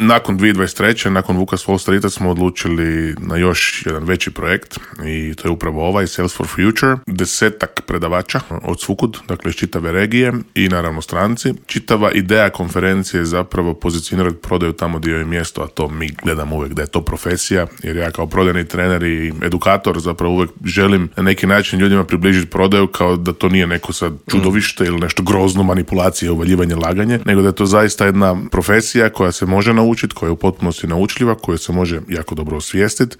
Nakon 2023. nakon Vukas Wall Streeta smo odlučili na još jedan veći projekt i to je upravo ovaj Sales for Future. 10 predavača od svukud, dakle iz čitave regije i naravno stranci. Čitava ideja konferencije je zapravo pozicionirati prodaju tamo gdje je mjesto, a to mi gledamo uvijek da je to profesija, jer ja kao prodajni trener i edukator zapravo uvijek želim na neki način ljudima približiti prodaju kao da to nije neko sad čudovište ili nešto grozno, manipulacije, uvaljivanje, laganje, nego da je to zaista jedna profesija koja se može naučiti, koja je u potpunosti naučljiva, koju se može jako dobro osvijestiti